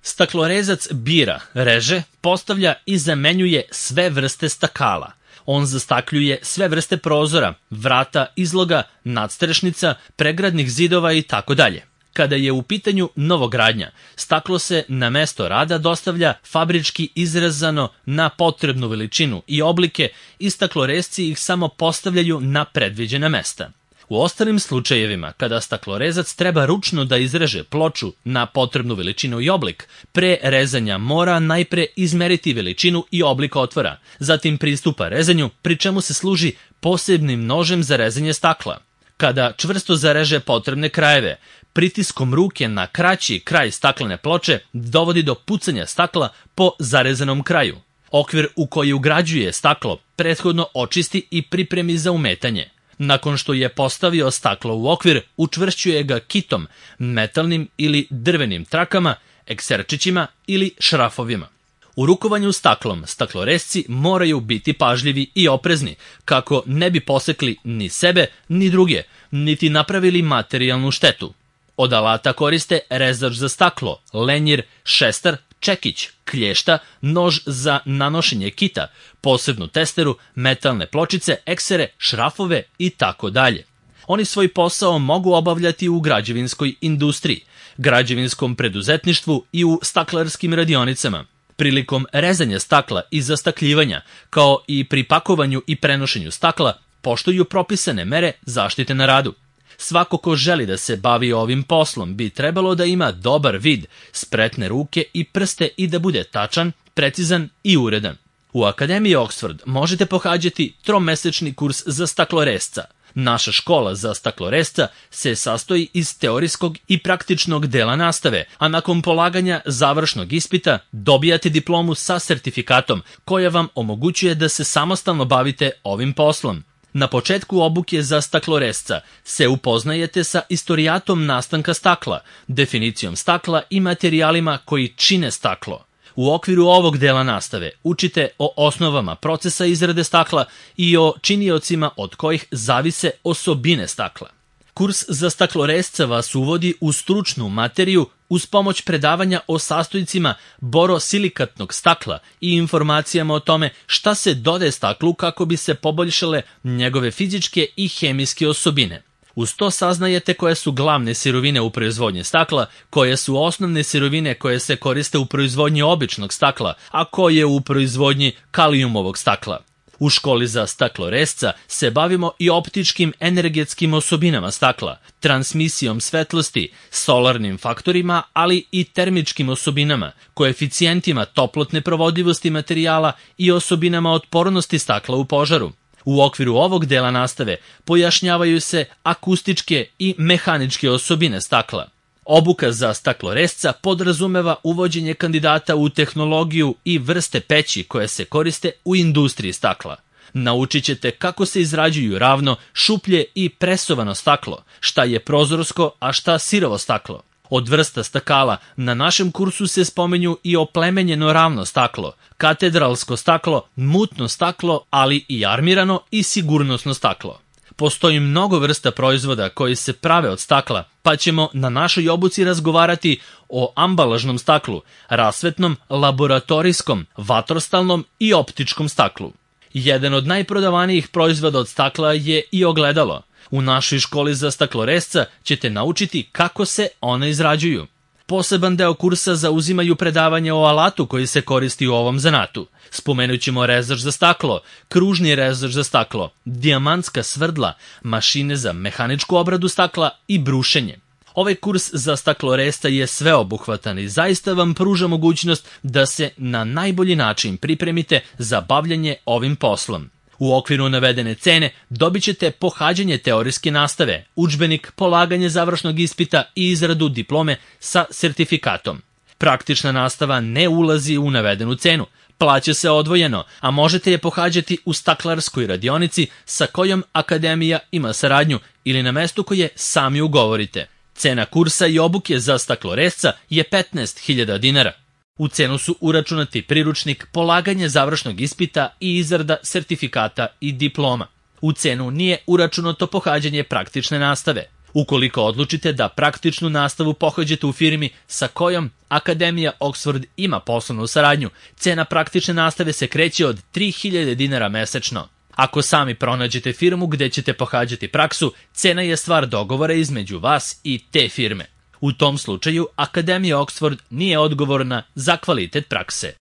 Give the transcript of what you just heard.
Staklorezac bira, reže, postavlja i zamenjuje sve vrste stakala. On zastakljuje sve vrste prozora, vrata, izloga, nadstrešnica, pregradnih zidova i tako dalje. Kada je u pitanju novogradnja, staklo se na mesto rada dostavlja fabrički izrezano na potrebnu veličinu i oblike i staklorezci ih samo postavljaju na predviđena mesta. U ostalim slučajevima, kada staklorezac treba ručno da izreže ploču na potrebnu veličinu i oblik, pre rezanja mora najpre izmeriti veličinu i oblik otvora, zatim pristupa rezanju, pri čemu se služi posebnim nožem za rezanje stakla. Kada čvrsto zareže potrebne krajeve, pritiskom ruke na kraći kraj staklene ploče dovodi do pucanja stakla po zarezanom kraju. Okvir u koji ugrađuje staklo prethodno očisti i pripremi za umetanje. Nakon što je postavio staklo u okvir, učvršćuje ga kitom, metalnim ili drvenim trakama, ekserčićima ili šrafovima. U rukovanju staklom staklorezci moraju biti pažljivi i oprezni, kako ne bi posekli ni sebe ni druge, niti napravili materijalnu štetu. Od alata koriste rezač za staklo, lenjir, šestar, čekić, klješta, nož za nanošenje kita, posebnu testeru, metalne pločice, eksere, šrafove i tako dalje. Oni svoj posao mogu obavljati u građevinskoj industriji, građevinskom preduzetništvu i u staklarskim radionicama. Prilikom rezanja stakla i zastakljivanja, kao i pri pakovanju i prenošenju stakla, poštuju propisane mere zaštite na radu. Svako ko želi da se bavi ovim poslom bi trebalo da ima dobar vid, spretne ruke i prste i da bude tačan, precizan i uredan. U Akademiji Oxford možete pohađati tromesečni kurs za staklorezca. Naša škola za staklorezca se sastoji iz teorijskog i praktičnog dela nastave, a nakon polaganja završnog ispita dobijate diplomu sa sertifikatom koja vam omogućuje da se samostalno bavite ovim poslom. Na početku obuke za staklorezca se upoznajete sa istorijatom nastanka stakla, definicijom stakla i materijalima koji čine staklo. U okviru ovog dela nastave učite o osnovama procesa izrade stakla i o činiocima od kojih zavise osobine stakla. Kurs za staklorezca vas uvodi u stručnu materiju uz pomoć predavanja o sastojcima borosilikatnog stakla i informacijama o tome šta se dodaje staklu kako bi se poboljšale njegove fizičke i hemijske osobine. Uz to saznajete koje su glavne sirovine u proizvodnji stakla, koje su osnovne sirovine koje se koriste u proizvodnji običnog stakla, a koje u proizvodnji kalijumovog stakla. U školi za staklorezca se bavimo i optičkim energetskim osobinama stakla, transmisijom svetlosti, solarnim faktorima, ali i termičkim osobinama, koeficijentima toplotne provodivosti materijala i osobinama otpornosti stakla u požaru. U okviru ovog dela nastave pojašnjavaju se akustičke i mehaničke osobine stakla. Obuka za staklorezca podrazumeva uvođenje kandidata u tehnologiju i vrste peći koje se koriste u industriji stakla. Naučit ćete kako se izrađuju ravno, šuplje i presovano staklo, šta je prozorsko, a šta sirovo staklo. Od vrsta stakala na našem kursu se spomenju i oplemenjeno ravno staklo, katedralsko staklo, mutno staklo, ali i armirano i sigurnosno staklo. Postoji mnogo vrsta proizvoda koji se prave od stakla, pa ćemo na našoj obuci razgovarati o ambalažnom staklu, rasvetnom, laboratorijskom, vatrostalnom i optičkom staklu. Jedan od najprodavanijih proizvoda od stakla je i ogledalo. U našoj školi za staklorezca ćete naučiti kako se one izrađuju. Poseban deo kursa zauzimaju predavanje o alatu koji se koristi u ovom zanatu. Spomenut ćemo rezač za staklo, kružni rezač za staklo, dijamantska svrdla, mašine za mehaničku obradu stakla i brušenje. Ovaj kurs za staklorezca je sveobuhvatan i zaista vam pruža mogućnost da se na najbolji način pripremite za bavljanje ovim poslom. U okviru navedene cene dobit ćete pohađanje teorijske nastave, udžbenik, polaganje završnog ispita i izradu diplome sa sertifikatom. Praktična nastava ne ulazi u navedenu cenu, plaća se odvojeno, a možete je pohađati u staklarskoj radionici sa kojom Akademija ima saradnju ili na mestu koje sami ugovorite. Cena kursa i obuke za staklorezca je 15.000 dinara. U cenu su uračunati priručnik, polaganje završnog ispita i izrada sertifikata i diploma. U cenu nije uračunato pohađanje praktične nastave. Ukoliko odlučite da praktičnu nastavu pohađate u firmi sa kojom Akademija Oxford ima poslovnu saradnju, cena praktične nastave se kreće od 3000 dinara mesečno. Ako sami pronađete firmu gde ćete pohađati praksu, cena je stvar dogovora između vas i te firme. U tom slučaju, Akademija Oxford nije odgovorna za kvalitet prakse.